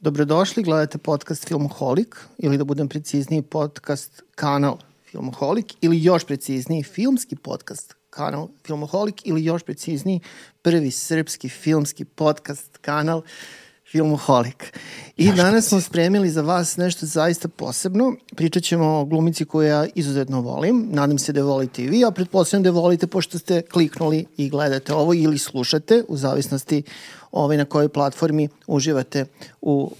Dobrodošli, gledate podcast Filmoholik, ili da budem precizniji, podcast kanal Filmoholik, ili još precizniji, filmski podcast kanal Filmoholik, ili još precizniji, prvi srpski filmski podcast kanal Filmoholik. I danas smo spremili za vas nešto zaista posebno. Pričat ćemo o glumici koju ja izuzetno volim. Nadam se da je volite i vi, a pretpostavljam da je volite pošto ste kliknuli i gledate ovo ili slušate, u zavisnosti na kojoj platformi uživate u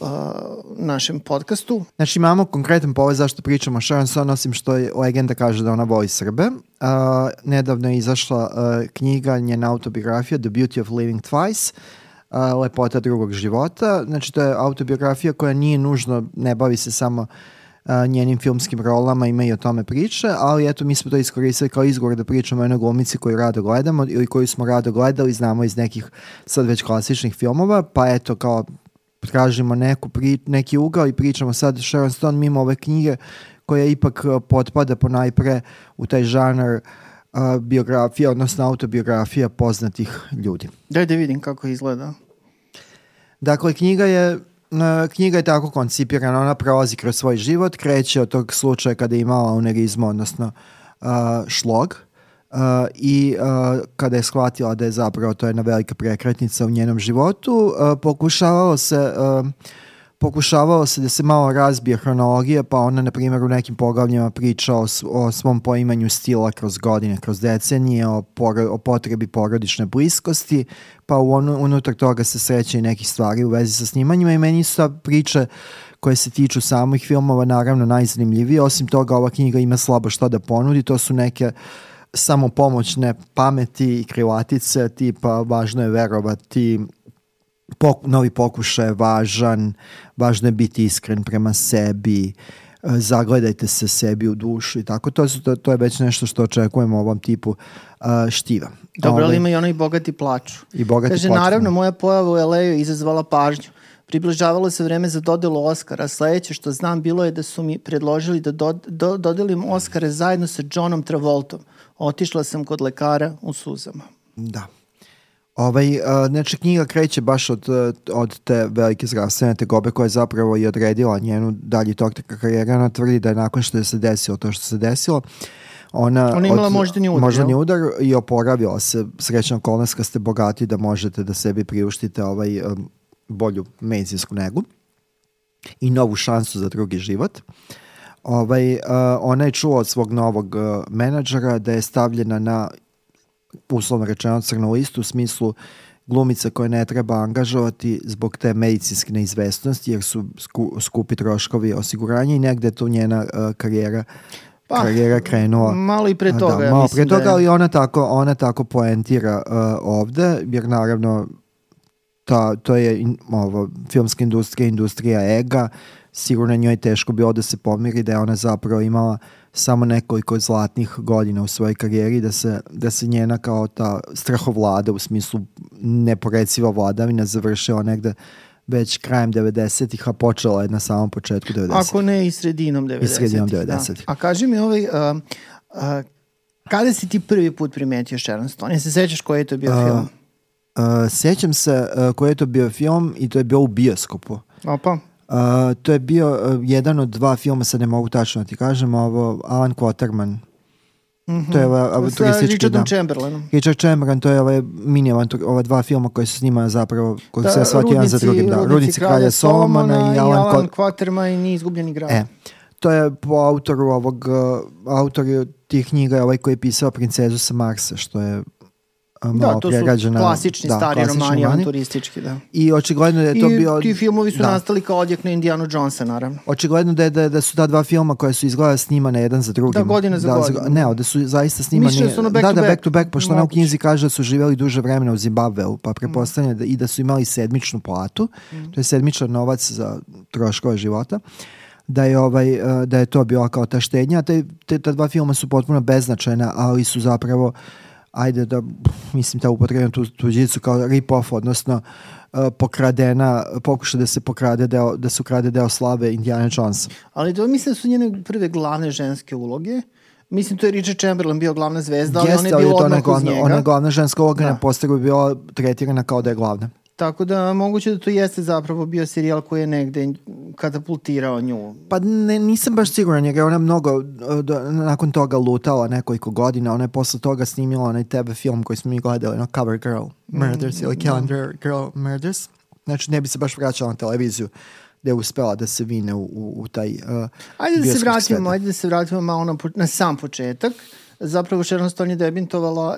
našem podcastu. Znači imamo konkretan povod zašto pričamo o Sharon Stone, osim što je legenda kaže da ona voli Srbe. Nedavno je izašla knjiga, njena autobiografija The Beauty of Living Twice, Lepota drugog života. Znači to je autobiografija koja nije nužno, ne bavi se samo njenim filmskim rolama, ima i o tome priče, ali eto mi smo to iskoristili kao izgovor da pričamo o jednoj glumici koju rado gledamo ili koju smo rado gledali, znamo iz nekih sad već klasičnih filmova, pa eto kao tražimo neki ugao i pričamo sad Sharon Stone mimo ove knjige koja ipak potpada ponajpre u taj žanar biografija, odnosno autobiografija poznatih ljudi. Daj da vidim kako izgleda. Dakle, knjiga je tako koncipirana, ona prolazi kroz svoj život, kreće od tog slučaja kada je imala aneurizmu, odnosno šlog, i kada je shvatila da je zapravo to jedna velika prekretnica u njenom životu, pokušavalo se da se malo razbije hronologija, pa ona, na primjer, u nekim poglavljima priča o svom poimanju stila kroz godine, kroz decenije, o potrebi porodične bliskosti, pa unutar toga se sreće i nekih stvari u vezi sa snimanjima i meni su priče koje se tiču samih filmova naravno najzanimljivije. Osim toga, ova knjiga ima slabo što da ponudi, to su neke samopomoćne pameti i krilatice, tipa važno je verovati, novi pokušaj je važno je biti iskren prema sebi, zagledajte se sebi u dušu i tako. To je već nešto što očekujemo u ovom tipu štiva. Dobro, ali ima i ono i bogati plaču. Kaže, naravno, moja pojava u LA-u izazvala pažnju. Približavalo se vreme za dodelu Oscara. Sledeće što znam bilo je da su mi predložili da dodelim Oscare zajedno sa Johnom Travoltom. Otišla sam kod lekara u suzama. Da. Znači knjiga kreće baš od te velike zdravstvene tegobe koja je zapravo i odredila njenu dalji tok karijera. Ona tvrdi da je nakon što je se desilo to što se desilo, ona imala moždani udar i oporavila se. Srećna okolnost kad ste bogati da možete da sebi priuštite bolju medicinsku negu i novu šansu za drugi život. Ona je čula od svog novog menadžera da je stavljena na, uslovno rečeno, crnu listu, u smislu glumica koje ne treba angažovati zbog te medicinske neizvestnosti jer su skupi troškovi osiguranja i negde je tu njena karijera krenula. Malo i pre toga. Malo pre toga, ali ona tako poentira ovde, jer naravno to je filmska industrija ega, sigurno njoj teško bilo da se pomiri, da je ona zapravo imala samo nekoliko zlatnih godina u svojoj karijeri, da se njena kao ta strahovlada u smislu neporeciva vladavina završila negde već krajem 90-ih, a počela je na samom početku 90-ih. Ako ne i sredinom 90-ih. Da. A kaži mi kada si ti prvi put primetio Sharon Stone? Ja se sećaš koji je to bio film? Sećam se koji je to bio film i to je bio u bioskopu. Opa. To je bio jedan od dva filma, sad ne mogu tačno da ti kažem, Alan Quaterman. To je sa Richardom Chamberlainom. Richard Chamberlain, to je mini ova dva filma koji su snimali zapravo, koji se shvatio jedan za drugim. Rudnici kralja Solomona i Alan Quaterman i Izgubljeni grad. To je po autoru tih knjiga koji je pisao Princezu sa Marsa, što je to su klasični stari romani, avanturistički, da. I očigledno da je to bio... I ti filmovi su nastali kao odjek na Indianu Jonesa, naravno. Očigledno da su ta dva filma koja su izgleda snimane jedan za drugim. Da, godina za godinu. Ne, da su zaista snimani... Mišljeno su back to back, pošto ona u knjizi kaže da su živjeli duže vremena u Zimbabveu, pa pretpostavljam i da su imali sedmičnu platu, to je sedmičan novac za troškove života, da je to bila kao ta štednja. Ta dva filma su potpuno beznačajna, ali su zapravo ta upotrebna tuđicu kao rip-off, odnosno pokuša da se ukrade deo slave Indiana Jonesa. Ali to mislim da su njene prve glavne ženske uloge. Mislim, to je Richard Chamberlain bio glavna zvezda, ali ona je bila odmah uz njega. Ona je glavna ženska uloga, na posteru je bila tretirana kao da je glavna. Tako da moguće da to jeste zapravo bio serijal koji je negde katapultirao nju. Pa nisam baš siguran jer je ona mnogo nakon toga lutala nekoliko godina. Ona je posle toga snimila onaj TV film koji smo mi gledali, Cover Girl Murders ili Calendar Girl Murders. Znači ne bi se baš vraćala na televiziju gde je uspela da se vine u taj Ajde da se vratimo malo na sam početak. Zapravo Sharon Stone je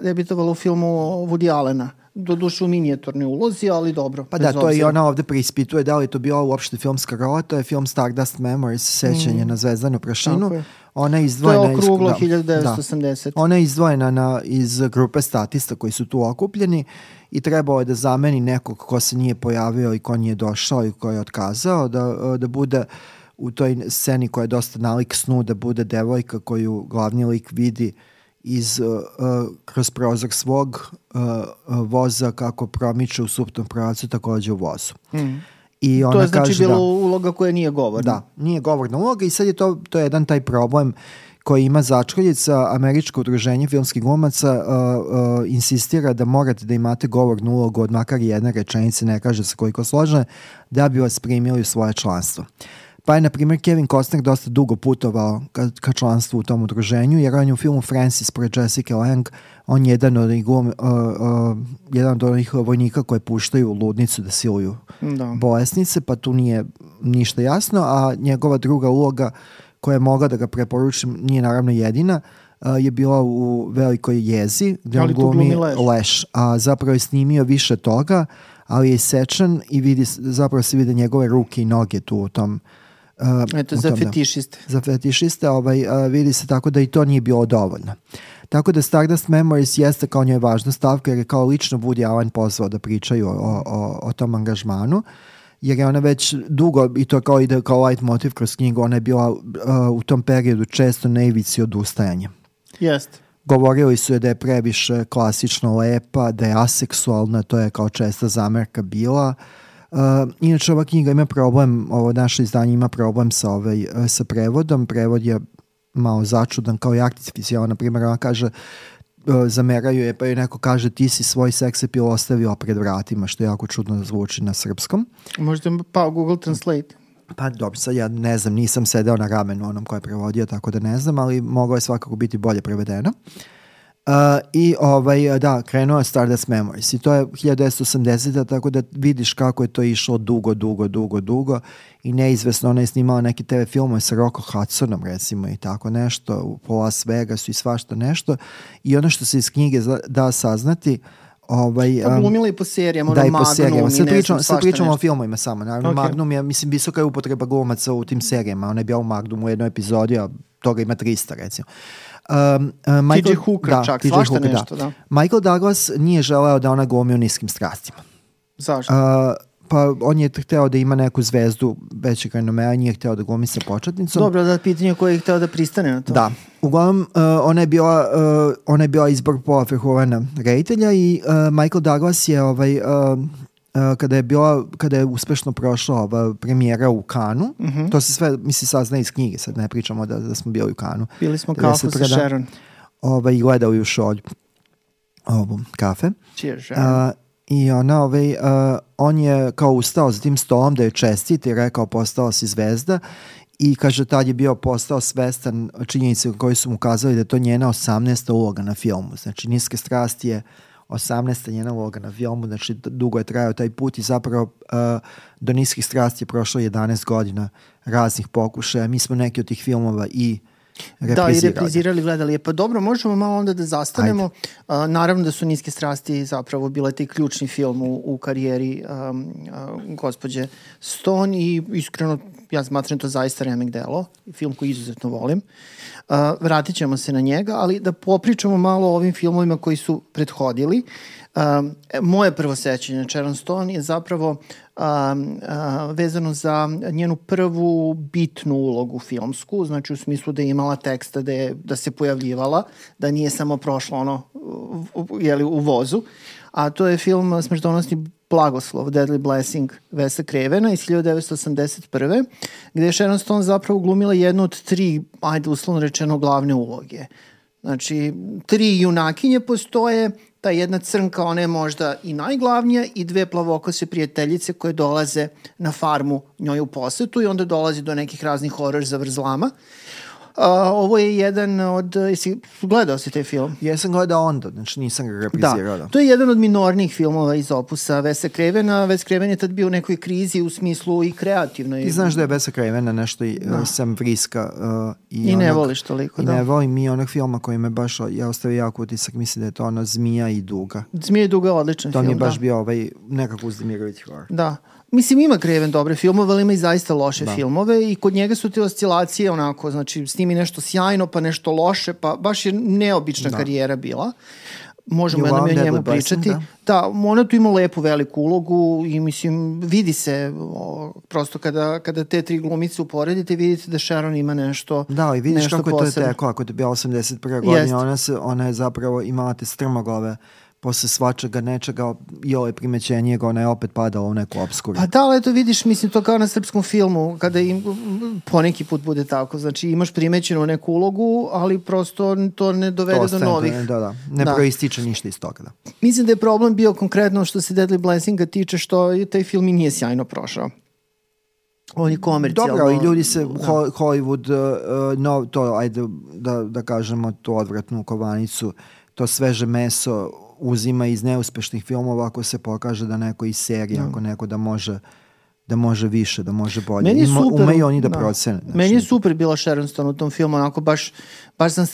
debitovala u filmu Woody Allena. Doduše u minijaturnoj ulozi, ali dobro. Pa da, to je i ona ovde preispituje da li je to bila uopšte filmska rola, to je film Stardust Memories, sećanje na zvezdanu prašinu. Ona je izdvojena, to je okruglo 1980. Ona je izdvojena iz grupe statista koji su tu okupljeni i trebao je da zameni nekog ko se nije pojavio i ko nije došao i ko je otkazao, da bude u toj sceni koja je dosta nalik snu, da bude devojka koju glavni lik vidi kroz prozor svog voza kako promiče u suprotnom pravcu, takođe u vozu. I ona to je znači bila uloga koja nije govorna. Da, nije govorna uloga i sad je to je jedan taj problem koji ima začkoljica. Američko udruženje filmskih glumaca insistira da morate da imate govornu ulogu od makar jedne rečenice, ne kaže se koliko složene, da bi vas primili u svoje članstvo. Pa je, na primjer, Kevin Costner dosta dugo putovao ka članstvu u tom udruženju, jer on je u filmu Francis pored Jessica Lange, on je jedan od onih vojnika koje puštaju u ludnicu da siluju bolesnice, pa tu nije ništa jasno, a njegova druga uloga koja je mogla da ga preporučim, nije naravno jedina, je bila u Velikoj jezi, gde on glumi Leš, a zapravo je snimio više toga, ali je isečan i zapravo se vide njegove ruke i noge tu u tom. Eto, za fetišiste. Za fetišiste, vidi se tako da i to nije bilo dovoljno. Tako da Stardust Memories jeste kao njoj važna stavka jer je kao lično Woody Allen pozvao da pričaju o tom angažmanu, jer je ona već dugo, i to kao ide kao light motiv kroz knjigu, ona je bila u tom periodu često na ivici odustajanja. Jeste. Govorili su je da je previše klasično lepa, da je aseksualna, to je kao česta zamerka bila. Inače ova knjiga ima problem, ovo naše izdanje ima problem sa prevodom. Prevod je malo začudan kao i artificijalan. Na primjer, ona kaže, zameraju je, pa joj neko kaže ti si svoj seks appeal ostavila pred vratima, što jako čudno zvuči na srpskom. Možda pa Google Translate. Pa dobro, sad ja ne znam, nisam sedeo na ramenu onom ko je prevodio, tako da ne znam, ali moglo je svakako biti bolje prevedeno. Krenuo je Stardust Memories i to je 1980, tako da vidiš kako je to išlo dugo i neizvesno. Ona je snimala neke TV filmove sa Rocco Hudsonom recimo i tako nešto, po Las Vegasu i svašta nešto, i ono što se iz knjige da saznati, glumila i po serijama, da, i po serijama. Sad pričamo o filmovima samo. Naravno, Magnum je, mislim, visoka je upotreba glumaca u tim serijama. Ona je bila u Magnumu u jednoj epizodi, a toga ima 300, recimo. TJ Hooker čak, svašta nešto, da. Michael Douglas nije želeo da ona glumi u Niskim strastima. Zašto? Pa on je hteo da ima neku zvezdu većeg renomea, nije hteo da glumi sa početnicom. Dobro, da, pitanje koje je hteo da pristane na to. Da. Uglavnom, ona je bila izbor Paula Verhoevena reditelja i Michael Douglas je kada je uspešno prošla premijera u Cannesu, to se sve, mislim, sazna iz knjige, sad ne pričamo da smo bili u Cannesu. Bili smo kafu sa Sharon. I gledali u šolju kafe. Cheers, Sharon. I on je kao ustao za tim stolom da je čestit i rekao postala si zvezda i kaže tad je postao svestan činjenice koji su mu kazali da je to njena 18. uloga na filmu. Znači Niske strasti je 18. njena uloga na filmu, znači dugo je trajao taj put i zapravo do Niskih strasti je prošlo 11 godina raznih pokušaja. Mi smo neki od tih filmova i reprizirali, gledali je. Pa dobro, možemo malo onda da zastanemo. Naravno da su Niske strasti zapravo bile taj ključni film u karijeri gospođe Stone i iskreno ja smatram to zaista remek delo, film koji izuzetno volim. Vratit ćemo se na njega, ali da popričamo malo o ovim filmovima koji su prethodili. Moje prvo sećanje na Sharon Stone je zapravo vezano za njenu prvu bitnu ulogu filmsku, znači u smislu da je imala teksta, da se pojavljivala, da nije samo prošlo u vozu, a to je film Smrtonosni blagoslov, Deadly Blessing Wesa Cravena iz 1981. gde je Sharon Stone zapravo glumila jednu od 3, ajde uslovno rečeno, glavne uloge. Znači, 3 junakinje postoje, ta jedna crnka, ona je možda i najglavnija, i 2 plavokose prijateljice koje dolaze na farmu njoj u posetu i onda dolazi do nekih raznih horor zavrzlama. Ovo je jedan od... Gledao si taj film? Jesam gledao onda, znači nisam ga reprizirao. Da, to je jedan od minornijih filmova iz opusa Wesa Cravena. Wes Craven je tad bio u nekoj krizi u smislu i kreativnoj. Ti znaš da je Wesa Cravena nešto i Sam Vriska. I ne voliš toliko, da. I ne volim i onog filma koji me baš, ja ostavio jako utisak, mislim da je to ono Zmija i Duga. Zmija i Duga je odličan film, to mi je baš bio nekako uzdemirujući horor. Da. Mislim, ima Craven dobre filmove, ali ima i zaista loše filmove i kod njega su te oscilacije onako, znači snimi nešto sjajno, pa nešto loše, pa baš je neobična karijera bila. Možemo jednom i o njemu pričati. Da, ona tu ima lepu veliku ulogu i mislim, vidi se prosto kada te 3 glumice uporedite, vidite da Sharon ima nešto posebno. Da, i vidiš kako je to teko, ako je to bila 81. godina, ona je zapravo imala te strmoglave posle svačega nečega i ovo je primećenijeg, ona je opet padala u neku obskuru. Pa da, ali eto vidiš, mislim, to kao na srpskom filmu, kada poneki put bude tako, znači imaš primećenu neku ulogu, ali prosto to ne dovede do novih. Ne proističe ništa iz toga. Da. Mislim da je problem bio konkretno što se Deadly Blessinga tiče, što taj film i nije sjajno prošao. On je komercijalno... Dobro, i ljudi se Hollywood, to, ajde da kažemo, to odvratnu kovanicu, to sveže meso uzima iz neuspešnih filmova ako se pokaže da neko iz serije, ako neko da može više, da može bolje. Umeju oni da procene. Meni je super bila Sharon Stone u tom filmu, onako baš sam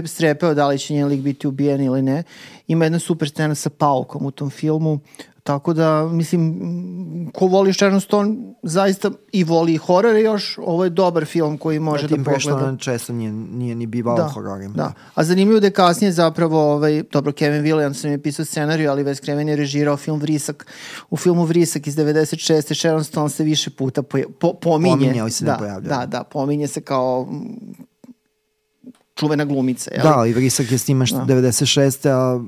strepeo da li će njen lik biti ubijen ili ne. Ima jedna super scena sa paukom u tom filmu, tako da, mislim, ko voli Sharon Stone zaista i voli horore još, ovo je dobar film koji može da pogleda. Tim prešto često nije ni bivao hororima. Da, a zanimljivo da je kasnije zapravo, dobro, Kevin Williamson je pisao scenariju, ali Wes Craven je režirao film Vrisak. U filmu Vrisak iz 96. Sharon Stone se više puta pominje. Pominje, ali se ne pojavlja. Da, pominje se kao čuvena glumica. Da, i Vrisak je snimaš 96. a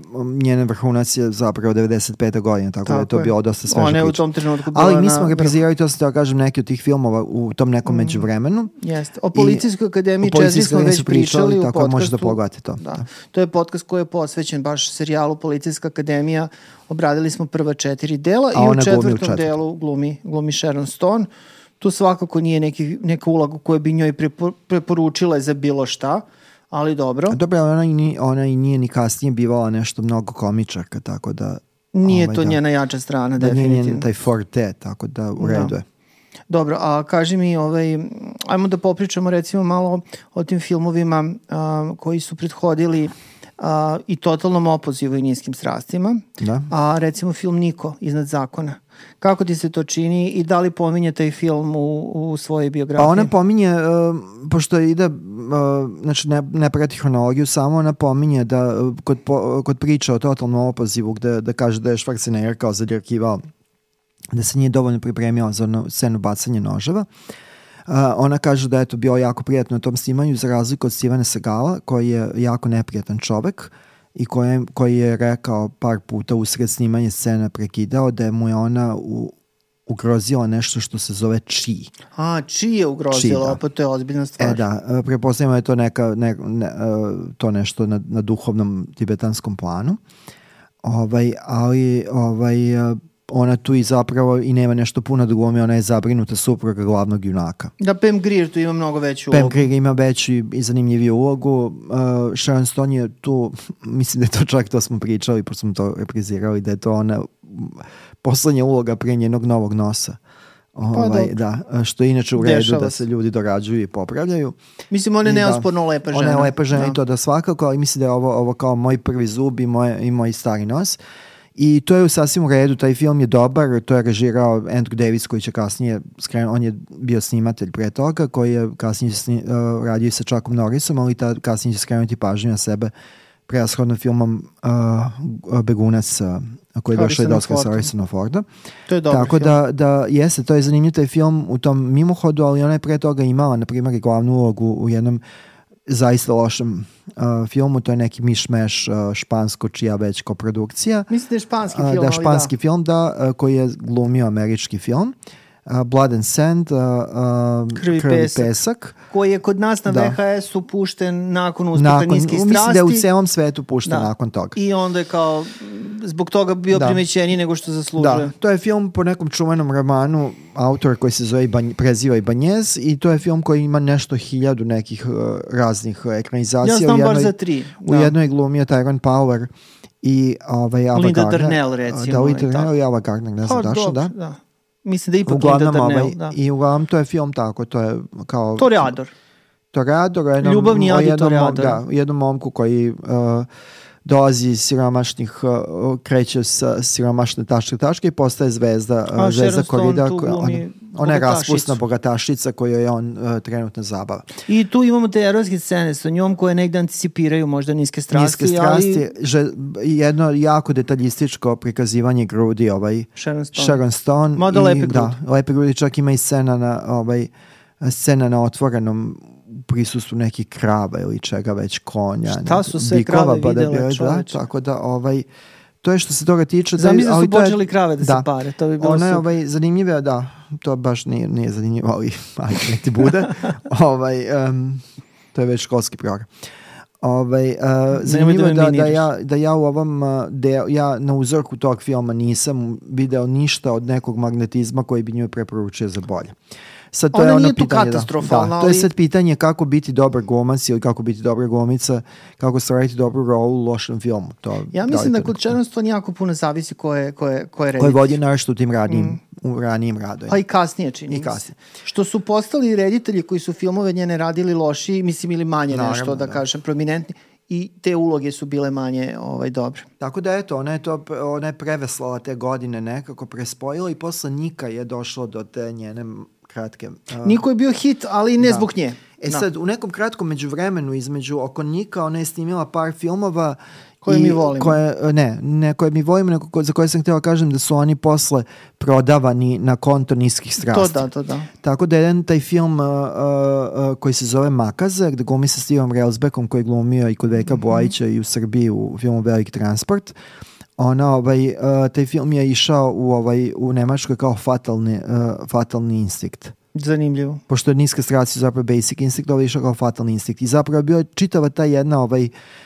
njene vrhunac je zapravo 95. godine, tako da je to bilo dosta sveža priča. Ona je u tom trenutku bila ali mi smo reprizirali, to se da kažem, neki od tih filmova u tom nekom međuvremenu. Jeste. O Policijskoj akademiji 4 smo već pričali u podcastu. Tako možete da pogledate to. Da. To je podcast koji je posvećen baš serijalu Policijska akademija. Obradili smo prva 4 dela i u 4. delu glumi Sharon Stone. Tu svakako nije neka uloga koju bi njoj preporučila za bilo šta, ali dobro. Dobro, ona i nije ni kasnije bivala nešto mnogo komičarka, tako da... Nije to njena jača strana, definitivno. Nije njen taj forte, tako da u redu je. Dobro, a kaži mi, ajmo da popričamo recimo malo o tim filmovima koji su prethodili i totalnom opozivu i niskim strastima. Da. A recimo film Niko, Iznad zakona. Kako ti se to čini i da li pominje taj film u svojoj biografiji? Pa ona pominje, pošto ide, znači ne prati hronologiju, samo ona pominje da kod priča o totalnom opozivu da kaže da je Schwarzenegger kao zadjerkivao, da se nije dovoljno pripremio za onu scenu bacanja noževa. Ona kaže da je to bio jako prijatno na tom snimanju za razliku od Stevena Segala koji je jako neprijatan čovek i koji je rekao par puta usred snimanja scena prekidao da mu je ona ugrozila nešto što se zove chi. Chi je ugrozila, pa to je ozbiljna stvar. Da, prepostavljamo je to to nešto na duhovnom tibetanskom planu. Ali ona tu i zapravo i nema nešto puno da glumi, ona je zabrinuta supruga glavnog junaka. Da, Pam Grier tu ima mnogo veću ulogu. Pam Grier ima veću i zanimljiviju ulogu. Sharon Stone je tu, mislim da je to čak, to smo pričali, pošto smo to reprizirali, da je to ona poslednja uloga prije njenog novog nosa. Što je inače u redu da se ljudi dorađuju i popravljaju. Mislim, ona je neosporno lepa žena. Ona je lepa žena i to da svakako, ali mislim da je ovo kao moj prvi zub i moj stari nos. I to je sasvim u redu, taj film je dobar, to je režirao Andrew Davis koji će kasnije, on je bio snimatelj pre toga, koji je kasnije radio sa Chuckom Norrisom, ali kasnije će skrenuti pažnju na sebe prevashodno filmom Begunac koji je došao i doskao sa Harrisonom Fordom. To je dobar film. Tako da jeste, to je zanimljiv taj film u tom mimohodu, ali ona je pre toga imala, na primjer, i glavnu ulogu u jednom zaista lošem filmu, to je neki mišmeš špansko čija već koprodukcija. Mislim da je španski film, španski film, koji je glumio američki film. Blood and Sand, Krv i pesak. Koji je kod nas na VHS-u pušten nakon Uspeha niskih strasti. Mislim da je u celom svetu pušten nakon toga. I onda je kao zbog toga bio primećeniji nego što zaslužuje. Da, to je film po nekom čuvenom romanu autor koji se zove preziva Ibanez i to je film koji ima nešto 1000 nekih raznih ekranizacija. Ja znam bar za 3. U jednoj glumio Tyrone Power i Ava Linda Gardner. Darnell, recimo. Da, Linda Darnell i Ava Gardner, ne znam dašo, da. Mislim da je ipak Linda Darnell, da. I uglavnom to je film tako, to je kao... Toreador, ljubavni adi Toreador. Da, jednom momku koji dolazi iz siromašnih, kreće sa siromašne tačke i postaje zvezda korida. Ona je raspusna bogatašica koju je on trenutno zabava. I tu imamo te erotske scene sa njom koje negde anticipiraju možda niske strasti. Jedno jako detaljističko prikazivanje grudi Sharon Stone. Mada lepe grudi. Da, lepe grudi, čak ima i scena na otvorenom prisustvu nekih krava ili čega već, konja. Šta su sve krave videle, čoveče? Tako da, to je što se toga tiče. Zamisli da su počeli krave da se pare, to bi bilo super. Ona je zanimljiva, da, to baš nije zanimljivo, ali nek ti bude. To je već školski program. Zanimljivo je da ja u ovom ja na uzorku tog filma nisam video ništa od nekog magnetizma koji bi njoj preporučio za bolje. Sad, to ona je nije tu katastrofalna. To je sad pitanje kako biti dobar glumac ili kako biti dobra glumica, kako stvariti dobru rolu u lošem filmu. Ja mislim da kod Sharon Stone jako puno zavisi ko je reditelj. Koji vodi našto u tim ranijim radovima. Pa i kasnije čini. Što su postali reditelji koji su filmove njene radili loši, mislim ili manje nešto, da kažem, prominentni. I te uloge su bile manje dobre. Tako da eto, ona je preveslala te godine nekako, prespojila i posle Nika je došlo do te njene kratke. Niko je bio hit, ali ne zbog nje. Sad, u nekom kratkom međuvremenu oko Nika ona je snimila par filmova koje mi volimo. Ne koje mi volimo, nego za koje sam htjela kažem da su oni posle prodavani na konto niskih strasti. To da. Tako da jedan taj film koji se zove Makaze, gde glumi sa Stevom Railsbackom koji je glumio i kod Veljka Bojića i u Srbiji u filmu Veliki transport. Taj film je išao u Nemačkoj kao fatalni instinkt. Zanimljivo. Pošto je niska strasti zapravo Basic Instinct, je išao kao fatalni instinkt. I zapravo je bio čitava ta jedna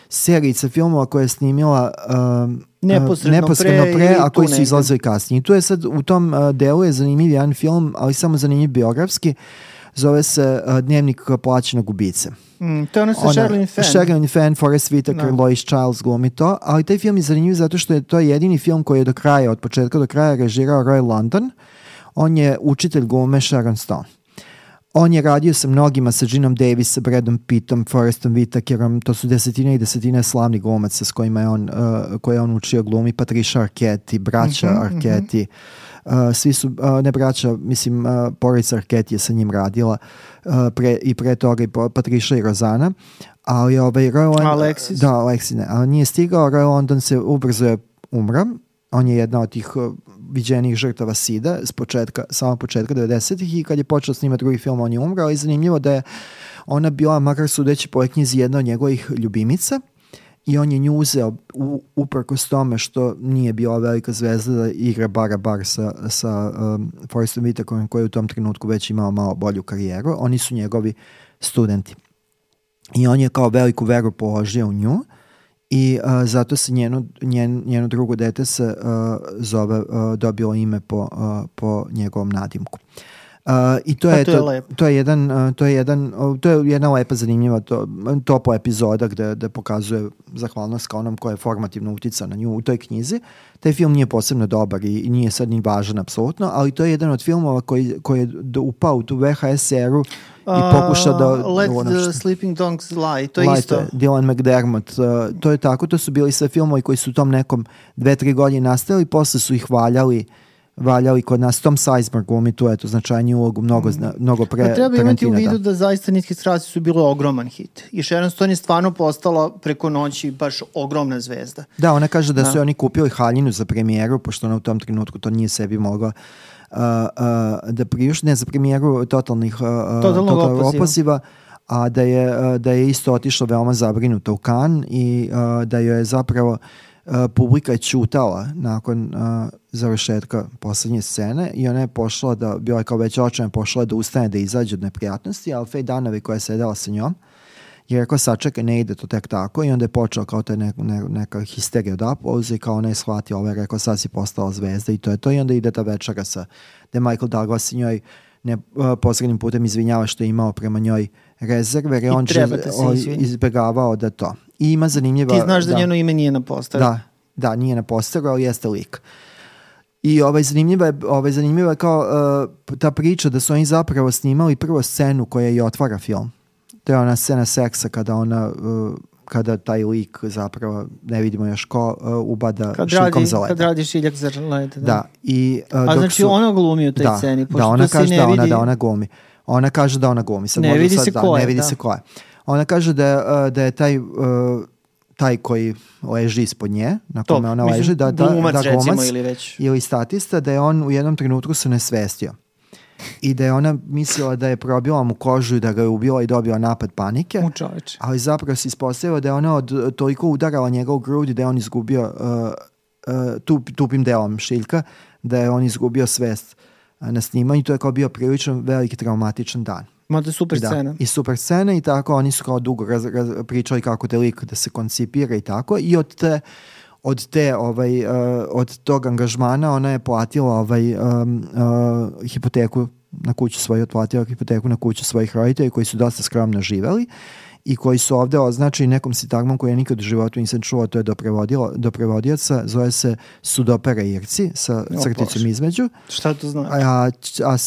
serijica filmova koja je snimila neposredno pre, a koji su izlazili kasnije. I tu je sad, u tom delu je zanimljiv jedan film, ali samo zanimljiv biografski, zove se Dnevnik plaćenog ubice. To je ono sa Sherilyn Fenn. Sherilyn Fenn, Forest Whitaker, Lois Chiles glumi to, ali taj film je zanimljiv zato što je to jedini film koji je od početka do kraja režirao Roy London. On je učitelj glume Sharon Stone. On je radio sa mnogima, sa Ginom Davis, sa Bradom Pittom, Forestom Whitakerom, to su desetine i desetine slavnih glumaca s kojima je koje je on učio glumi, Patricia Arquette, braća Arquette, svi su, ne braća, mislim, porodica Arquette je sa njim radila pre toga i Patricia i Rozana, ali Alexis? Da, Alexis ne, ali nije stigao, Roy London se ubrzo umra, on je jedna od tih viđenih žrtava SIDA samog početka 90-ih i kad je počeo snimati drugi film on je umrao i zanimljivo da je ona bila, makar sudeći po knjizi, jedna od njegovih ljubimica i on je nju uzeo uprkos tome što nije bila velika zvezda da igra bar sa Forestom Whitakerom koji je u tom trenutku već imao malo bolju karijeru. Oni su njegovi studenti. I on je kao veliku veru položio u nju i zato se njeno drugo dete se dobilo ime po njegovom nadimku. I to je jedna lepa zanimljiva topla epizoda gde pokazuje zahvalnost kao onom koja je formativno utica na nju u toj knjizi. Taj film nije posebno dobar i nije sad ni važan apsolutno, ali to je jedan od filmova koji je upao u tu VHS eru i pokuša da... Let the Sleeping Dogs Lie, to je isto. Dylan McDermott, to je tako, to su bili sve filmovi koji su u tom nekom 2-3 godine nastali, posle su ih valjali kod nas. Tom Sizemore glumi tu, eto, značajniju ulogu, mnogo pre Tarantina. Treba imati u vidu da zaista Niske strasti su bile ogroman hit. I Sharon Stone je stvarno postala preko noći baš ogromna zvezda. Da, ona kaže da su oni kupili haljinu za premijeru, pošto ona u tom trenutku to nije sebi mogla da priušti, ne za premijeru Totalnog opoziva, a da je isto otišla veoma zabrinuta u Cannes i da joj je zapravo publika je ćutala nakon završetka poslednje scene i ona je pošla da, bila je kao već očajna, pošla da ustane da izađe od neprijatnosti, ali Faye Dunaway koja je sedela sa njom je rekao sačekaj, ne ide to tek tako i onda je počeo kao ta neka histerija od aplauza i kao ona je shvatila, ovaj je rekao sad si postala zvezda i to je to i onda ide ta večera sa gde Michael Douglas i njoj posrednim putem izvinjava što je imao prema njoj rezerve jer je on izbjegavao da to. I ima zanimljiva... Ti znaš da njeno ime nije na posteru. Da, nije na posteru, ali jeste lik. I zanimljiva je kao ta priča da su oni zapravo snimali prvo scenu koja i otvara film. To je ona scena seksa kada taj lik zapravo, ne vidimo još ko, ubada šiljkom za leda. Kad radi šiljak za leda. Da. A znači ona glumi u toj sceni. Da, ona kaže da ona glumi. Ona kaže da ona glumi. Ne vidi se ko je. Ne vidi se ko je. Ona kaže da je taj koji leži ispod nje, na kome ona leži, da glumac ili statista, da je on u jednom trenutku se nesvestio. I da je ona mislila da je probila mu kožu i da ga je ubila i dobila napad panike. Ali zapravo se ispostavilo da je ona toliko udarala njega u grudi da je on izgubio tupim delom šiljka, da je on izgubio svest na snimanju. To je kao bio prilično veliki traumatičan dan. Mada super scena. I super scena i tako oni su kao dugo pričali kako te lik da se koncipira i tako i od tog angažmana ona je platila hipoteku na kuću svoju, otplatila hipoteku na kuću svojih roditelja koji su dosta skromno živeli i koji su ovde označeni nekom sintagmom koju ja nikad u životu nisam čuo, to je do prevodioca, zove se Sudopera Irci sa crticom između. Šta to znači? A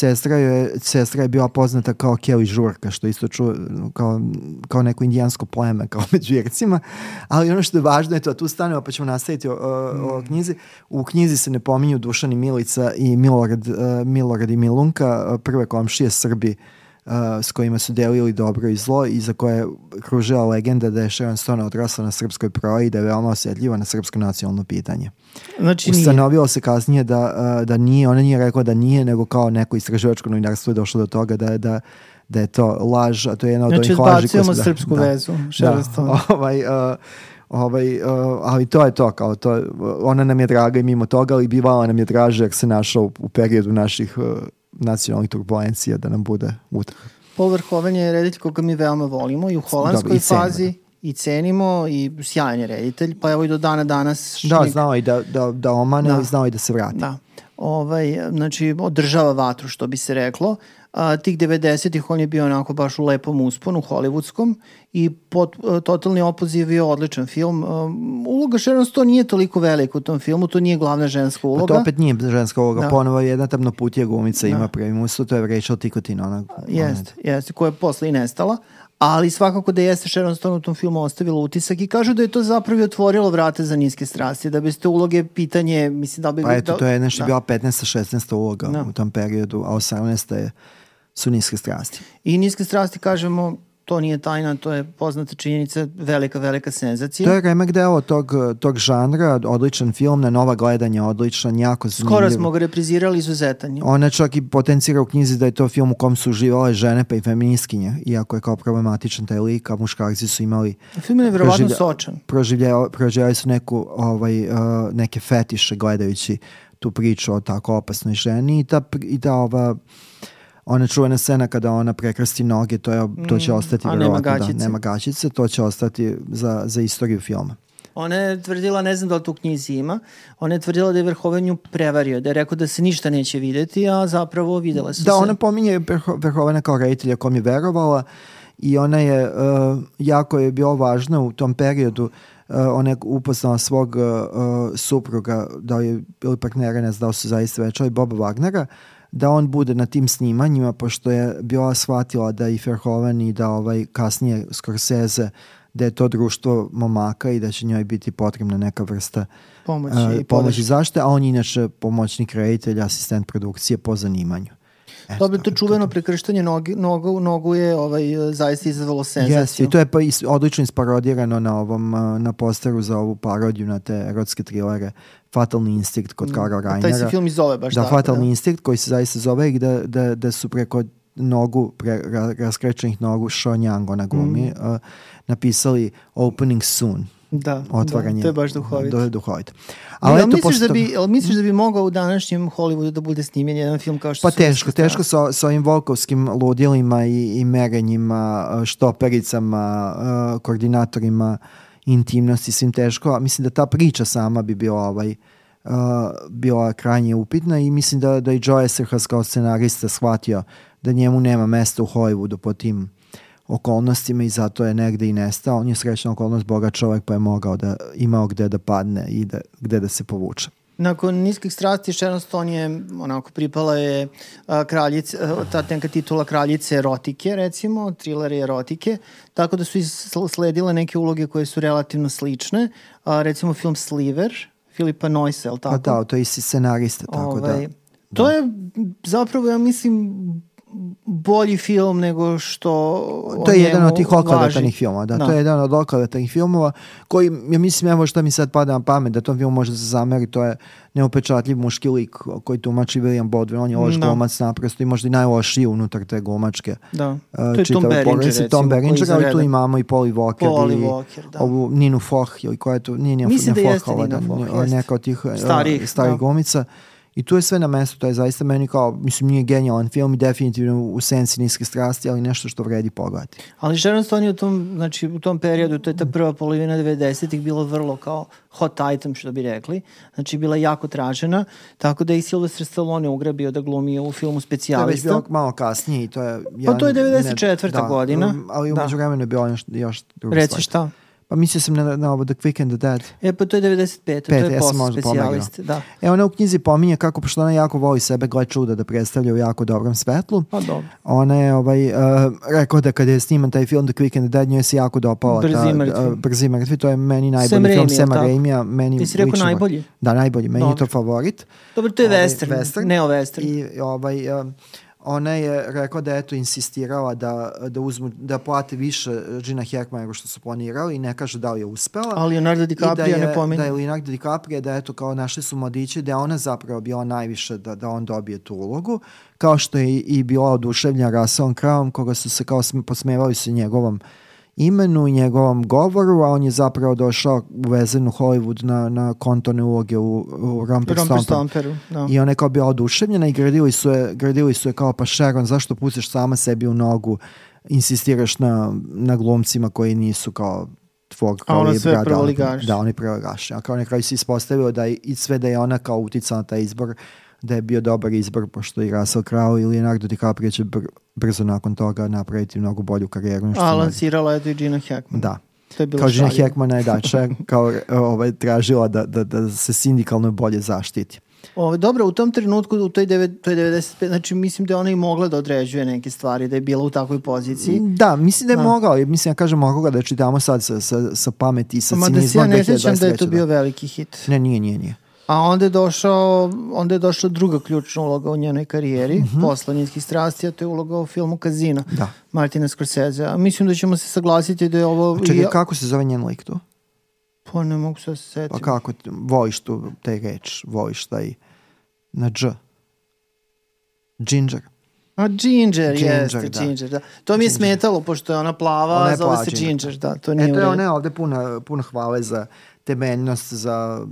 sestra je bila poznata kao Kelly Žurka, što isto čuo kao neko indijansko pleme, kao među Ircima, ali ono što je važno je to, tu stanemo pa ćemo nastaviti o knjizi. U knjizi se ne pominju Dušan i Milica i Milorad i Milunka, prve komšije Srbi s kojima su delili dobro i zlo i za koje je kružila legenda da je Sharon Stone odrasla na srpskoj proji i da je veoma osjetljiva na srpsko nacionalno pitanje. Znači ustanovilo se kasnije da nije, ona nije rekla da nije, nego kao neko istraživačko novinarstvo je došlo do toga da je to laž, a to je jedna od ovih laži. Znači, odbacujemo srpsku vezu. Sharon Stone. Ali to je to, kao to, ona nam je draga i mimo toga, ali bivala nam je draže jer se našao u periodu naših nacionalnih turbulencija da nam bude utak. Paul Verhoeven je reditelj koga mi veoma volimo i u holandskoj fazi i cenimo i sjajan je reditelj, pa evo i do dana danas. Znao i da omane, ali znao i da se vrati. Da. Znači, održava vatru, što bi se reklo. Tih 90-ih on je bio onako baš u lepom usponu, hollywoodskom i Totalni opoziv je odličan film. Uloga Sharon Stone nije toliko velika u tom filmu, to nije glavna ženska uloga. Pa to opet nije ženska uloga, ponovo jedna tamnoputija glumica ima primus, to je Rachel Ticotin. Jeste, koja je posle i nestala. Ali svakako da jeste Sharon Stone u tom filmu ostavila utisak i kažu da je to zapravo otvorilo vrate za niske strasti, da bez te uloge pitanje, mislim da bi... Pa eto, to je nešto bila 15. 16. uloga u tom periodu, a 18. su niske strasti. I niske strasti, kažemo, to nije tajna, to je poznata činjenica, velika senzacija. To je remek deo tog žanra, odličan film, na nova gledanja, odličan, jako zanimljiv. Skoro smo ga reprizirali izuzetan. Ona čak i potencira u knjizi da je to film u kom su uživale žene pa i feministkinje, iako je kao problematičan taj lik, a muškarci su imali... Film je verovatno sočan. Proživljali su neke fetiše gledajući tu priču o tako opasnoj ženi i ta ona čuvena scena kada ona prekrsti noge, to će ostati nema gaćice, to će ostati za istoriju filma. Ona je tvrdila, ne znam da li to u knjizi ima, ona je tvrdila da je Verhoeven nju prevario, da je rekao da se ništa neće videti, a zapravo videla su se. Da, ona pominje Verhoevena kao reditelja kom je verovala i ona je, jako je bilo važno u tom periodu, ona je upoznala svog supruga, da je bili partnera, ne znam da su zaista večali, Boba Wagnera, da on bude na tim snimanjima, pošto je bila shvatila da i Verhoeven i da kasnije Scorsese, da je to društvo momaka i da će njoj biti potrebna neka vrsta pomoći zaštite, a on je inače pomoćnik reditelja, asistent produkcije po zanimanju. Dobro, to čuveno prekrštanje nogu je zaista izazvalo senzaciju. I to je odlično isparodirano na posteru za ovu parodiju na te erotske trilere Fatalni instinkt kod Karla Rainera. Taj se film i zove baš tako. Fatalni instinkt koji se zaista zove i da su preko raskrećenih nogu Sean Young, ona glumi, napisali Opening Soon. otvaranje. To je baš duhovito. Duhovito. Ali misliš da bi mogao u današnjem Hollywoodu da bude snimljen jedan film kao što teško sa ovim volkovskim ludilima i merenjima, štopericama, koordinatorima intimnosti, svim teško, a mislim da ta priča sama bi bila krajnje upitna i mislim da i Joe Eszterhas kao scenarista shvatio da njemu nema mesta u Hollywoodu po tim okolnostima i zato je negde i nestao. On je srećna okolnost, bogat čovjek, pa je imao gde da padne i gde da se povuče. Nakon Niskih strasti Sharon Stone je pripala je ta neka titula kraljice erotike, recimo, trilere erotike, tako da su sledile neke uloge koje su relativno slične, recimo film Sliver, Filipa Noysa, ali tako? Da, to je isti scenarista, tako da. To je zapravo, ja mislim, bolji film nego što to je jedan od tih oklevetnih filmova, to je jedan od oklevetnih filmova koji, ja mislim, evo šta mi sad pada na pamet, da tom filmu može se zameri, to je neupečatljiv muški lik koji tumači William Baldwin, on je loš glumac naprosto i možda i najlošiji unutar te glumačke. Da, to je Tom Berenger, recimo. Tom Berenger, ali tu imamo i Polly Walker i ovu Ninu Foch, ili koja je tu, nije mislim da jeste Nina Foch, neka od tih starih glumica. I tu je sve na mestu, to je zaista meni kao, mislim, nije genijalan film i definitivno u sensi Niske strasti, ali nešto što vredi pogledati. Ali Sharon Stone je u tom periodu, to je ta prva polovina 90-ih, bilo vrlo kao hot item, što bi rekli. Znači, bila jako tražena, tako da je i Sylvester Stallone ugrabio da glumi u filmu Specijalista. To je već bilo malo kasnije i to je... Pa to je 94. godina. Ali u međuvremenu je bilo još druga Reci šta? Pa mislio sam na ovo The Quick and the Dead. Pa to je 95. To je post-specijalist. Ona u knjizi pominje kako, pošto ona jako voli sebe, gle čuda da predstavlja u jako dobrom svetlu. Pa dobro. Ona je rekao da kada je sniman taj film The Quick and the Dead, njoj se jako dopala Brzi mrtvi. To je meni najbolji film Sama Raimija. Ti si rekao najbolji? Da, najbolji. Meni je to favorit. Dobro, to je western. Neo-western. I ona je rekla da je insistirala da plate više Gina Hackman nego što su planirali i ne kaže da li je uspela. Ali Leonardo DiCaprio ne pominje. Da je Leonardo DiCaprio, da kao našli su mladići, da je ona zapravo bila najviše da on dobije tu ulogu, kao što je i bila oduševljena Russellom Crowe, koga su se kao posmevali su njegovom imenu i njegovom govoru, a on je zapravo došao uvezen u Hollywood na kontorne uloge u Romper Stomperu. I ona je kao bila oduševljena i gradili su je kao, pa Sharon, zašto pustiš sama sebi u nogu, insistiraš na glumcima koji nisu kao tvog kao libra. A ona sve prvoligaš. Da, oni prvoligaš. A kao na kraju se ispostavilo da je ona kao uticala na taj izbor, da je bio dobar izbor, pošto i Russell Crowe i Leonardo DiCaprio će brzo nakon toga napraviti mnogo bolju karijeru. A lansirala je to i Gina Hackman. Da. Kao Gina Hackman najdače, kao tražila da se sindikalno bolje zaštiti. Dobro, u tom trenutku, to je 95, znači mislim da je ona i mogla da određuje neke stvari, da je bila u takvoj poziciji. Da, mislim da je mogla, mislim ja kažem mogla da čitamo sad sa pameti i sa cinizmom. Mada se ja ne sjećam da je to bio veliki hit. Ne, nije. A onda je došla druga ključna uloga u njenoj karijeri, posle Niskih strasti, a to je uloga u filmu Casino, Martina Scorsese. Mislim da ćemo se saglasiti da je ovo... Čekaj, kako se zove njen lik tu? Pa ne mogu se setiti. Pa kako, voliš tu taj reč, voliš taj na dž. Ginger. A Ginger, da. To mi je smetalo, pošto je ona plava, ona zove se Ginger, da. To nije ona je ovde puno hvale za temeljnost, za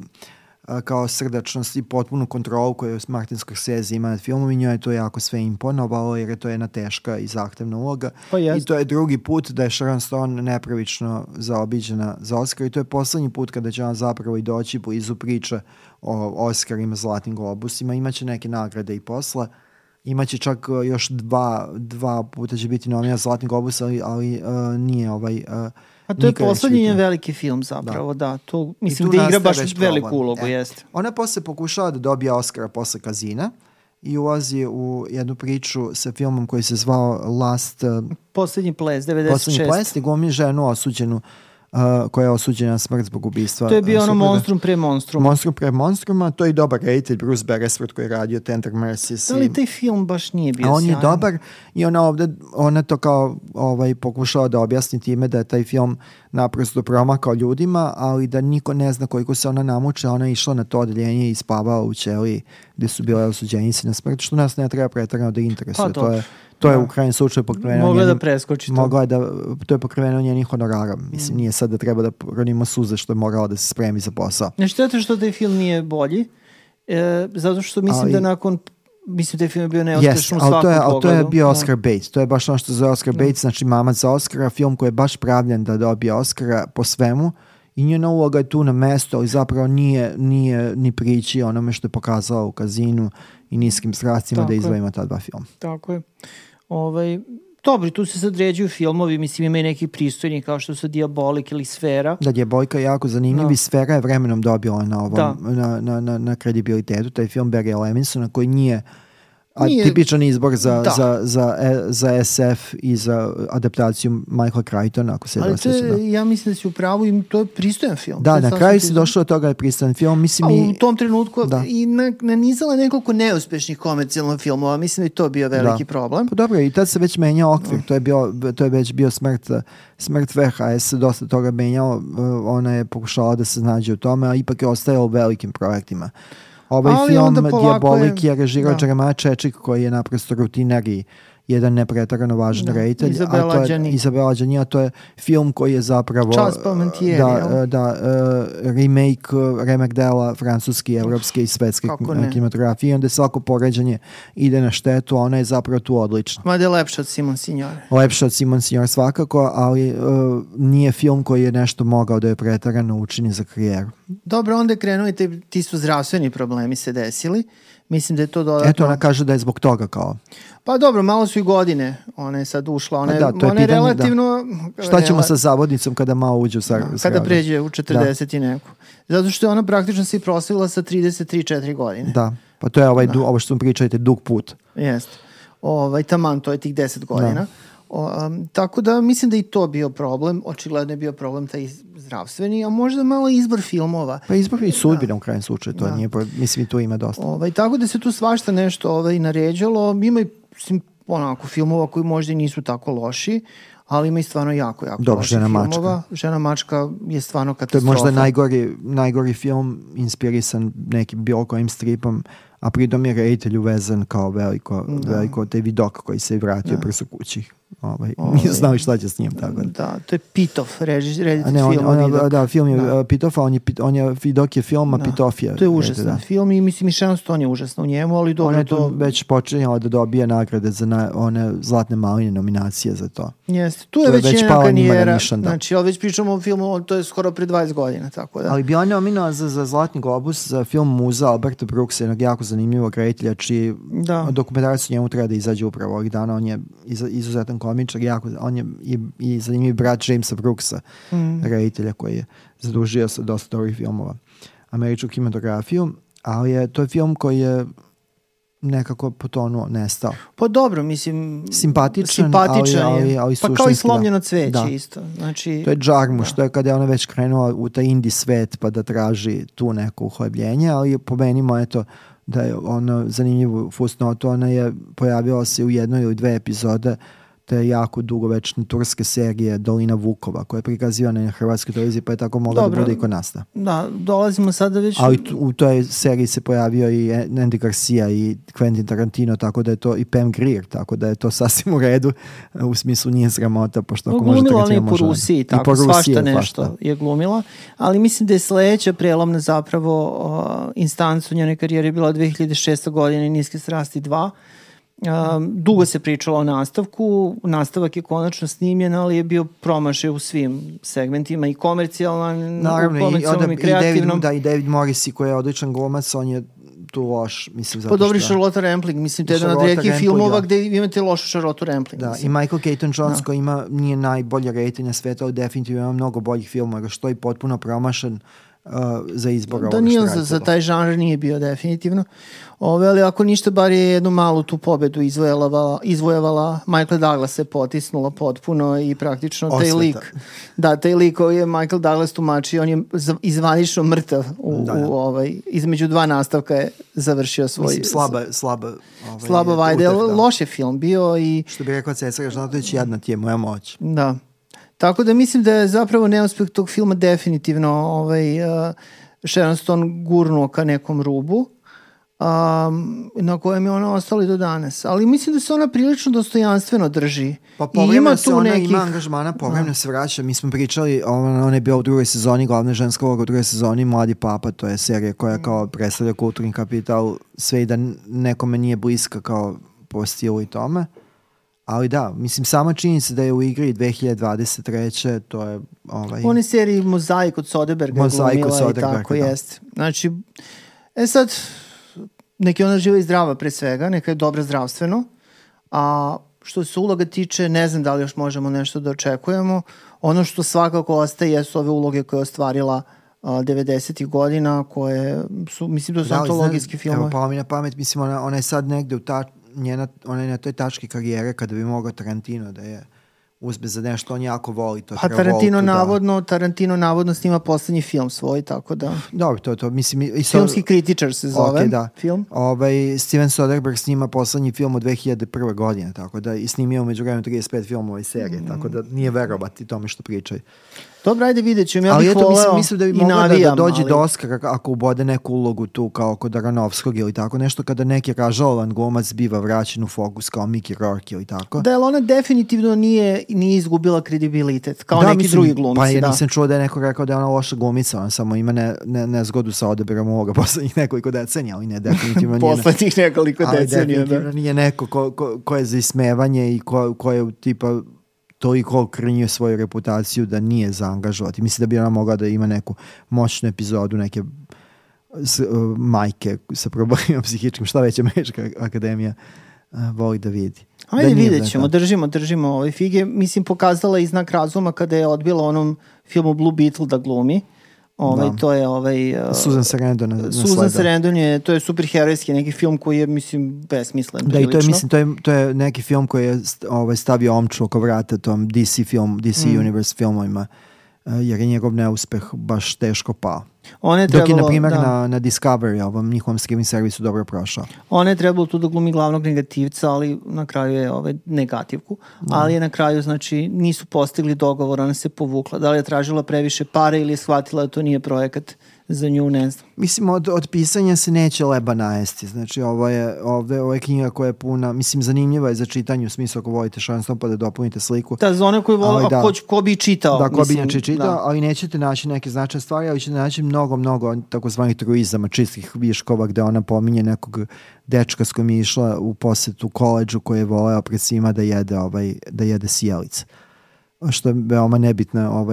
kao srdačnost i potpunu kontrolu koju Martin Scorsese ima nad filmom i njoj je to jako sve imponovalo jer je to jedna teška i zahtevna uloga. I to je drugi put da je Sharon Stone nepravično zaobiđena za Oscar i to je poslednji put kada će ona zapravo i doći blizu priče o Oscarima, Zlatnim globusima. Imaće neke nagrade i posle. Imaće čak još dva puta će biti nomina Zlatni globus, ali nije a to je poslednji veliki film zapravo, da. To, mislim da igra baš veliku ulogu, jeste. Ona posle pokušava da dobije Oscara posle Casina i ulazi u jednu priču sa filmom koji se zvao Poslednji ples, 96. Poslednji ples i glumi ženu osuđenu koja je osuđena na smrt zbog ubistva. To je bio ono Monstrum pre Monstruma. Monstrum pre Monstruma, to je i dobar reditelj Bruce Beresford koji je radio Tender Mercies. Ali taj film baš nije bio sjajan. A on je dobar i ona to kao pokušala da objasni time da je taj film naprosto promakao ljudima, ali da niko ne zna koliko se ona namuče. Ona je išla na to odeljenje i spavala u ćeliji gde su bile osuđenici na smrt, što nas ne treba pretarano da interesuje. To je u krajnjem slučaju pokriveno mogla da preskoči to. To je pokriveno njenih honorara. Mislim, nije sad da treba da rodimo suze što je morala da se spremi za posao. Ne štete što taj film nije bolji, zato što mislim da nakon taj film je bio neuspešan u svakom pogledu. Ali to je bio Oscar bait. To je baš ono što zove Oscar bait, znači mamac za Oscara, film koji je baš pravljen da dobije Oscara po svemu i njena uloga je tu na mesto, ali zapravo nije ni priči onome što je pokazala u Kazinu i Niskim strastima da izdvojimo ta dva filma. Tako je. Dobro, tu se sad ređuju filmovi, mislim ima i neki pristojni kao što su Diabolik ili Sfera. Da, Diabolika je jako zanimljiv i Sfera je vremenom dobila na kredibilitetu. Taj film Barrya Levinsona koji nije tipičan izbor za SF i za adaptaciju Michaela Crichtona, ako se ali ja mislim da si u pravu i to je pristojan film. Da, na kraju si došlo od toga je pristojan film. Mislim, u tom trenutku i nanizala nekoliko neuspešnih komercijalnih filmova. Mislim da je to bio veliki problem. Pa dobro, i tad se već menjao okvir. To je već bio smrt VHS, dosta toga menjao. Ona je pokušala da se snađe u tome, a ipak je ostajao u velikim projektima. Ovaj film Diabolik je režirao Jeremiah Chechik koji je naprosto rutiner i jedan nepretarano važan reditelj. Izabela Đani, a to je film koji je zapravo remek dela francuski, evropske i svetske kinematografije i onda svako poređanje ide na štetu, a ona je zapravo tu odlična. Mada je lepša od Simon Signore. Lepša od Simon Signore svakako, ali nije film koji je nešto mogao da je pretarano učini za karijeru. Dobro, onda je krenuo i ti su zdravstveni problemi se desili. Mislim da je to dodatno... Eto, ona kaže da je zbog toga kao... Pa dobro, malo su i godine. Ona je sad ušla. Ona je relativno... Šta ćemo sa zavodnicom kada malo uđe u zgradu? Kada pređe u 40 i neku. Zato što je ona praktično se i proslavila sa 33-4 godine. Da, pa to je ovo što vam pričajte, dug put. Jeste. Taman, to je tih 10 godina. Tako da mislim da i to bio problem. Očigledno je bio problem taj zdravstveni, a možda malo izbor filmova. Pa izbor i sudbina u krajem slučaju. To nije, mislim i tu ima dosta. Tako da se tu svašta nešto naređalo. Ima i filmova koji možda i nisu tako loši, ali ima i stvarno jako loših filmova. Žena mačka je stvarno katastrofa. To je možda najgori film inspirisan nekim bilo kojim stripom, a pritom je reditelj uvezan kao veliko taj vidok koji se vratio prso kući. Nije znao šta će s njim. Tako. Da, to je Pitof, reditelj filma. Da, film je Pitof, a vidok je film, a Pitof je. To je užasan film i mislim i Sharon Stone je užasna u njemu, ali dobro ona je to... već počinjala da dobije nagrade za one zlatne maline nominacije za to. Jeste, tu je već njena karijera. Znači, već pričamo o filmu, to je skoro pre 20 godina, tako da. Ali bi on nominao za Zlatni globus za film Muza Alberta Brooksa, jednog jako zanimljivog reditelja, čiji dokumentarac o njemu treba da izađe upravo ovih dana. On je izuzetan komičar, on je i zanimljiv brat Jamesa Brooksa, reditelja koji je zadužio sa dosta dobrih filmova američku kinematografiju, ali to je film koji je nekako potonuo, nestao. Pa dobro, mislim... Simpatičan ali pa kao i Slomljeno cveće isto. Znači, to je Džarmuš, to je kada je ona već krenula u taj indie svet pa da traži tu neko uhlebljenje, ali pomenimo da je ono zanimljivu fusnotu, ona je pojavila se u jednoj ili dve epizode te jako dugovečne turske serije Dolina Vukova, koja je prikazivana na hrvatskoj televiziji, pa je tako mogla da bude i kod nas. Da, dolazimo sada već... Ali u toj seriji se pojavio i Andy Garcia i Quentin Tarantino, tako da je to i Pam Grier, tako da je to sasvim u redu, u smislu nije sramota, pošto ako može Tarantino može... Glumila ona i po Rusiji, tako, svašta nešto je glumila, ali mislim da je sledeća prelomna zapravo instancu njene karijere bila 2006. godine Niske strasti 2. Dugo se pričalo o nastavku, nastavak je konačno snimljen, ali je bio promašaj u svim segmentima i komercijalnom, i kreativnom. I David Morrissey koji je odličan glumac, on je tu loš, mislim, zato što... Pa dobri Charlotte Rampling, mislim, to je jedan od redkih filmova gde imate lošu Charlotte Rampling. Da, i Michael Keaton Jones koji nije najbolje reditelj na svetu, ali definitivno ima mnogo boljih filmova, što je potpuno promašan za izbor ovoga što radite. Za taj žanr nije bio definitivno. Ali ako ništa, bar je jednu malu tu pobedu izvojevala. Michael Douglas se potisnula potpuno i praktično taj lik koji je Michael Douglas tumačio, on je izvanično mrtav između dva nastavka je završio svoj... Mislim, slaba vajde. Loš je film bio i... Što bi rekao Cesar Žnatović, jedna ti je moja moć. Da. Tako da mislim da je zapravo neuspeh tog filma definitivno Sharon Stone gurnuo ka nekom rubu. na kojem je ona ostala i do danas. Ali mislim da se ona prilično dostojanstveno drži. Pa povremeno se ona ima angažmana, povremeno se vraća. Mi smo pričali, ona je bila u drugoj sezoni, glavna ženska uloga u drugoj sezoni, Mladi papa, to je serija koja kao predstavlja kulturni kapital, sve i da nekome nije bliska kao po stilu i tome. Ali da, mislim, sama činjenica da je u igri 2023. to je... On je seriji Mozaik od Soderberga glumila i tako jest. Znači, sad, neka ona živa i zdrava pre svega, neka je dobra zdravstveno, a što se uloga tiče, ne znam da li još možemo nešto da očekujemo. Ono što svakako ostaje jesu ove uloge koje je ostvarila 90. godina, koje su, mislim da su antologijski filmove. Evo, pala mi na pamet, mislim, ona je sad negde ona je na toj tački karijere kada bi mogao Tarantino da je uzme za nešto, on jako voli to. A Tarantino navodno snima poslednji film svoj, tako da... Dobro, to mislim... Filmski kritičar se zove film. Steven Soderbergh snima poslednji film od 2001. godine, tako da i snimio umeđu vremenu 35 filmova i serije, tako da nije verovati tome što pričaju. Dobro, ajde vidjet ću. Ja bih voleo mislim da bi mogla da dođe do Oscara ako ubode neku ulogu tu kao kod Aronofskog ili tako nešto, kada neki ražalovan glumac biva vraćen u fokus kao Mickey Rourke ili tako. Da, ali ona definitivno nije izgubila kredibilitet, kao neki drugi glumci. Pa ja nisam čuo da je neko rekao da je ona loša glumica, ona samo ima nezgodu sa odabirom uloga poslednjih nekoliko decenija, ali ne definitivno nije. Poslednjih nekoliko decenija, ali definitivno nije neko ko je za ismevanje i ko je tipa toliko krnjio svoju reputaciju da nije zaangažovati. Mislim da bi ona mogla da ima neku moćnu epizodu neke majke sa problemima psihičkim, šta već Američka akademija voli da vidi. Ajde, vidjet ćemo, držimo ove fige. Mislim, pokazala je znak razuma kada je odbila onom filmu Blue Beetle da glumi. To je Susan Sarandon Susan Sarandon je, to je superherojski neki film koji je, mislim, besmislen. Da, i to je, mislim, to je neki film koji je stavio omču oko vrata tom DC Universe filmovima, jer je njegov neuspeh baš teško pao. Dok je, na primjer, na Discovery, ovom njihovom streaming servisu, dobro prošao. Ona je trebalo tu da glumi glavnog negativca, ali na kraju je negativku. Ali je na kraju, znači, nisu postigli dogovor, ona se povukla. Da li je tražila previše pare ili je shvatila da to nije projekat za nju, ne znam. Mislim, od pisanja se neće leba najesti. Znači, ovo je knjiga koja je puna, mislim, zanimljiva je za čitanje, u smislu ako volite šansom pa da dopunite sliku. Da, za one koji vole, ko bi čitao. Da, ko bi čitao, ali nećete naći neke značajne stvari, ali ćete naći mnogo takozvanih truizama, čistih viškova, gde ona pominje nekog dečka s kojim je išla u posetu koleđu koji je voleo pred svima da jede sijalice. Što je veoma nebitna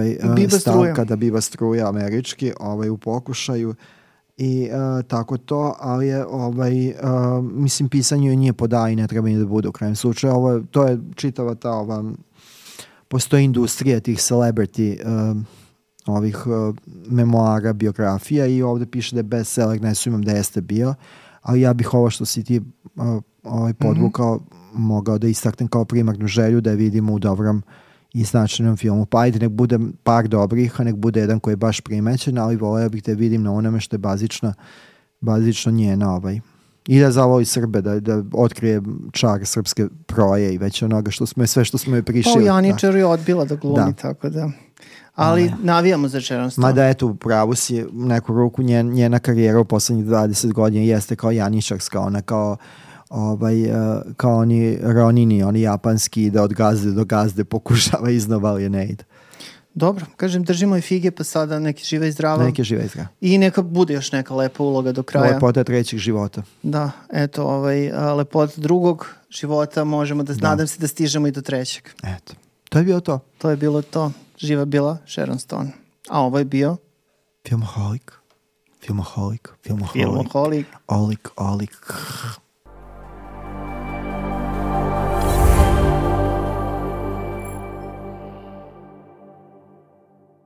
stavka da biva struja američki u pokušaju i tako to, ali je mislim, pisanje joj nije poda i ne treba ni da bude u krajem slučaju. To je čitava ta postoji industrija tih celebrity ovih memoara, biografija i ovde piše da je bestseller, ne sumnjam da jeste bio, ali ja bih ovo što si ti podvukao mogao da istaknem kao primarnu želju da je vidimo u dobrom i značajnom filmu. Pa ajde, nek bude par dobrih, a nek bude jedan koji je baš primećen, ali voleo bih da vidim na onome što je bazično njena i da zavoli Srbe, da otkrije čar srpske proje i već onoga sve što smo joj prišili. Pa Janičar je odbila da glumi, tako da. Ali navijamo za Sharon Stone. Mada eto, u pravu si, u neku ruku njena karijera u poslednjih 20 godina jeste kao Janičarska, ona kao oni Ronini, oni japanski, da od gazde do gazde pokušava iznova, ali ne ide. Dobro, kažem, držimo i fige, pa sada neki živa i zdrava. I neka bude još neka lepa uloga do kraja. Lepota trećeg života. Da, eto, lepota drugog života možemo da, nadam se da stižemo i do trećeg. Eto, to je bilo to. To je bilo to. Živa bila Sharon Stone. A ovo je bio... Filmoholik. Olik.